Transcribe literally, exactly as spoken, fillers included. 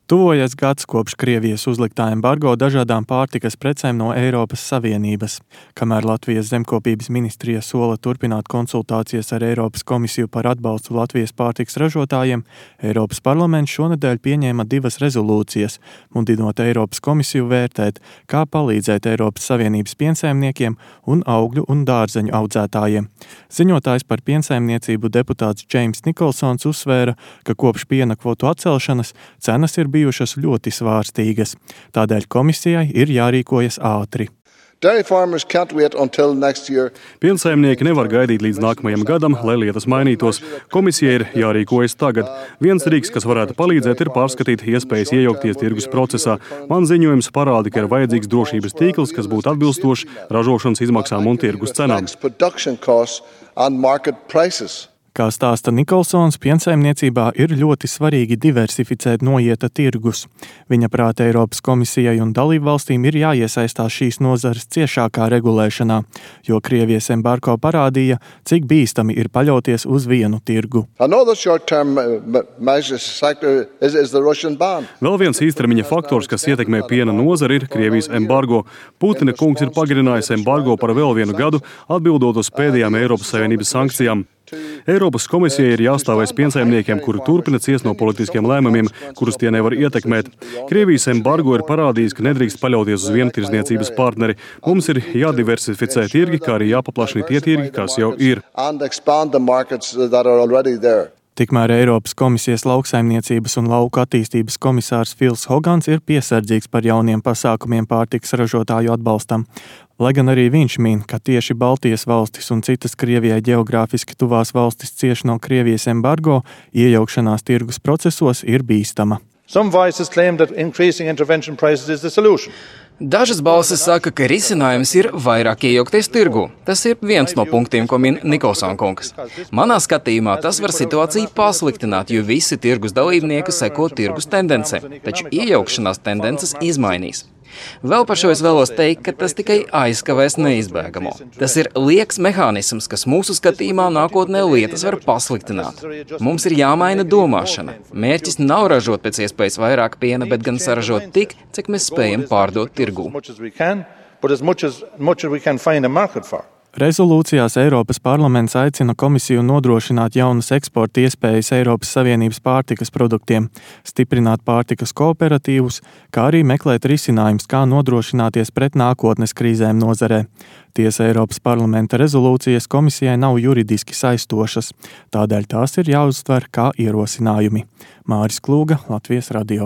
Tuvojas gads kopš Krievijas uzliktā embargo dažādām pārtikas precēm no Eiropas Savienības. Kamēr Latvijas zemkopības ministrija sola turpināt konsultācijas ar Eiropas komisiju par atbalstu Latvijas pārtikas ražotājiem, Eiropas parlaments šonedēļ pieņēma divas rezolūcijas, mudinot Eiropas komisiju vērtēt, kā palīdzēt Eiropas Savienības piensaimniekiem un augļu un dārzeņu audzētājiem. Ziņotājs par piensaimniecību deputāts Džeims Nikolsons uzsvēra, ka kopš piena kvotu atcelšanas cenas ir bijušas ļoti svārstīgas. Tādēļ komisijai ir jārīkojas ātri. Piensaimnieki nevar gaidīt līdz nākamajam gadam, lai lietas mainītos. Komisija ir jārīkojas tagad. Viens rīks, kas varētu palīdzēt, ir pārskatīt iespējas iejaukties tirgus procesā. Man ziņojums parāda, ka ir vajadzīgs drošības tīkls, kas būtu atbilstošs ražošanas izmaksām un tirgus cenām. Kā stāsta Nikolsons, piensaimniecībā ir ļoti svarīgi diversificēt noieta tirgus. Viņa prāta Eiropas komisijai un dalībvalstīm ir jāiesaistās šīs nozares ciešākā regulēšanā, jo Krievijas embargo parādīja, cik bīstami ir paļauties uz vienu tirgu. Vēl viens īstermiņa faktors, kas ietekmē piena nozari, ir Krievijas embargo. Putina kungs ir pagarinājis embargo par vēl vienu gadu, atbildot uz pēdējām Eiropas Savienības sankcijām. Eiropas komisijai ir jāstāvēs piensaimniekiem, kuri turpina ciest no politiskiem lēmumiem, kurus tie nevar ietekmēt. Krievijas embargo ir parādījis, ka nedrīkst paļauties uz vienu tirdzniecības partneri. Mums ir jādiversificē tirgi, kā arī jāpaplašina tie tirgi, kas jau ir. Tikmēr Eiropas komisijas lauksaimniecības un lauku attīstības komisārs Fils Hogans ir piesardzīgs par jauniem pasākumiem pārtikas ražotāju atbalstam. Lai gan arī viņš min, ka tieši Baltijas valstis un citas Krievijai ģeogrāfiski tuvās valstis cieš no Krievijas embargo, iejaukšanās tirgus procesos ir bīstama. Dažas balsis saka, ka risinājums ir vairāk iejaukties tirgū. Tas ir viens no punktiem, ko min Nikolsona kungs. Manā skatījumā tas var situāciju pasliktināt, jo visi tirgus dalībnieki seko tirgus tendencēm, taču iejaukšanās tendences izmainīs. Vēl par šo es vēlos teikt, ka tas tikai aizkavēs neizbēgamo. Tas ir lieks mehānisms, kas mūsu skatījumā nākotnē lietas var pasliktināt. Mums ir jāmaina domāšana. Mērķis nav ražot pēc iespējas vairāk piena, bet gan saražot tik, cik mēs spējam pārdot tirgū. Rezolūcijās Eiropas parlaments aicina komisiju nodrošināt jaunas eksporta iespējas Eiropas Savienības pārtikas produktiem, stiprināt pārtikas kooperatīvus, kā arī meklēt risinājums, kā nodrošināties pret nākotnes krīzēm nozarē. Tiesa Eiropas parlamenta rezolūcijas komisijai nav juridiski saistošas, tādēļ tās ir jāuztver kā ierosinājumi. Māris Klūga, Latvijas radio.